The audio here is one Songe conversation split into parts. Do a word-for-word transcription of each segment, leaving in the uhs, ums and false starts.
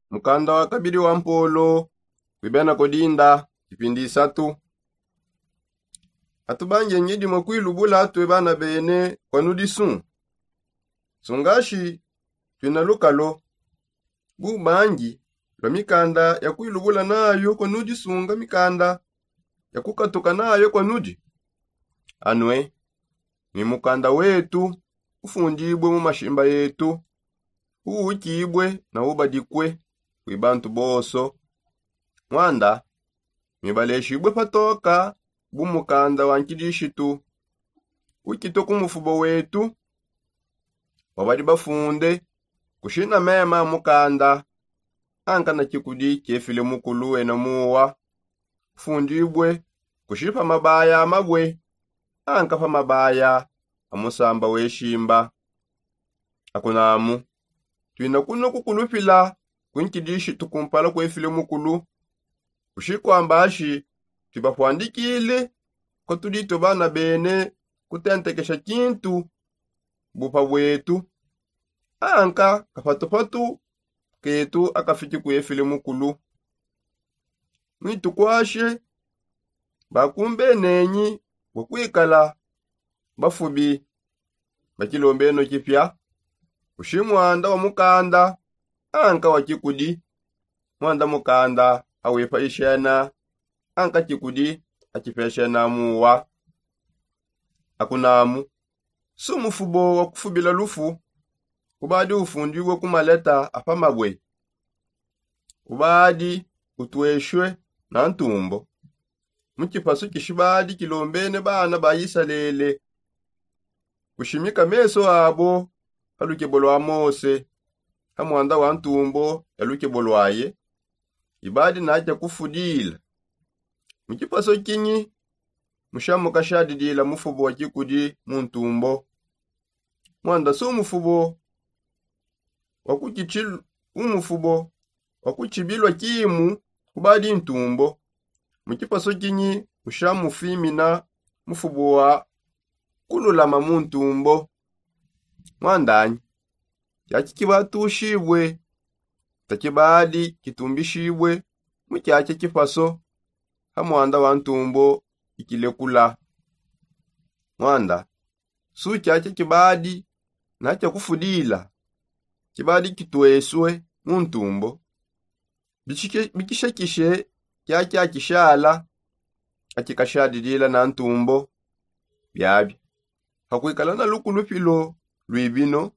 Mukanda wa kabidi wa mpolo. Kuibenako dinda kipindi isatu. Atubangi ngidi mwa kuilubula atue bana bene kwa nudisu. Sungashi tuina lukalo bubangi lwa mikanda ya kuilubula nayo kwa nudisunga mikanda ya kukatuka nayo kwa nudi. Anue ni mukanda wetu ufundibue mu mashimba yetu, uwukibue na ubadikue kwi bantu bonso. Mwanda mibaleshibue patoka bu mukanda wa nkidishitu ukitue ku mufubo wetu wabadi bafunde kushina mema mukanda. Anka na kikudi kiefile mukulu ena muwa ufundibue kushipa mabaya amabue anka pa mabaya a musamba weshimba. Akunamu tuina kuno kukulupila kunkidishitu kumpala kuefile mukulu kushikwambashi tuibapwandikile kwa tuditue bana bene kutentekesha kintu bupa bwetu anka kapatupatu ketu akafiki kuefile mukulu. Mwitukwashe bakumbenenyi bua kuikala bafubi bakilombeno kipia kushi mwanda wa mukanda anka wa kikudi. Mwanda mukanda awipa ishena anka kikudi akipeshena muwa. Akunamu su mufubo wa kufubila lufu ubadi ufundibue ku maleta apa mabue ubadi utueshue na ntumbo mu kipasu kishibadi kilombene bana ba isalele kushimika meso abo pa lukebo lwa mose ha mwanda wa ntumbo ya lukebo lwaye. Ibadi nakia kufudila mu kipaso kinyi mushamuka shadidila mufubo wa kikudi mu ntumbo. Mwanda su mufubo wa kukitshil umufubo wa kutshibilwa kimu kubadi ntumbo mu kipaso kinyi mushamufimina mufubo wa kululama mu ntumbo. Mwandanyi kiaki kibatushibue takibadi kitumbishibue mu kiaki kipaso ha mwanda wa ntumbo ikilekula. Mwanda su kiaki kibadi na kia kufudila kibadi kituesue mu ntumbo bikishekishe kiaki akishala akikashadidila na ntumbo. Biabi pakuikala na lukulupilo lwibino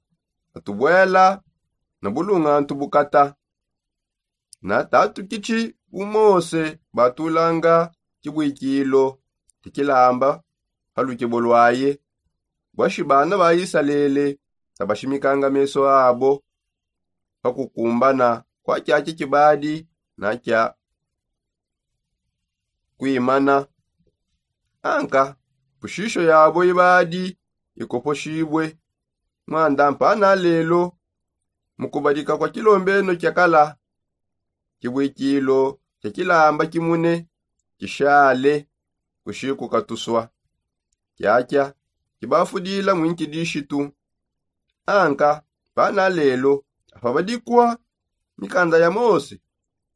atubuela na bulungantu bukata na tatu kitshi bu mose batulanga kibuikilo kikilamba pa lukebo lwaye bwashi bana ba isalele tabashimikanga meso abo pa kukumbana kwa kiaki kibadi na kia kuimana. Anka pushisho yabo ibadi ikoposhibue. Mwanda mpana lelo mu kubadika kwa kilombeno kia kala kibuikilo kia kilamba kimune kishale kushikukatusua kiakia kibafudila mwinkilishitu. Anka mpana lelo apa badikua mikanda ya mose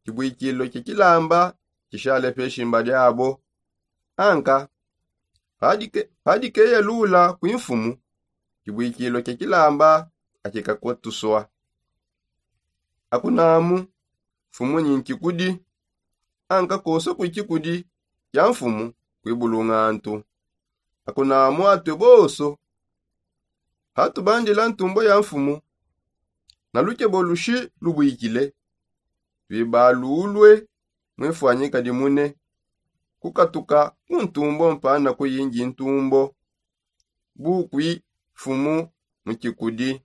kibuikilo kia kilamba kishale pe shimba diabo. Anka padikeyalula kwi mfumu kibuikilo kia kilamba akikakutusua. Akunamu mfumu nyi nkikudi anka koso kwi kikudi kia mfumu kwi bulungantu. Akunamu atue boso patubandila ntumbo ya mfumu na lukebo lushi lubuikile tuibalulue mwifwanyika dimune kukatuka ku ntumbo mpana kuyingi ntumbo bu kwi mfumu mu kikudi.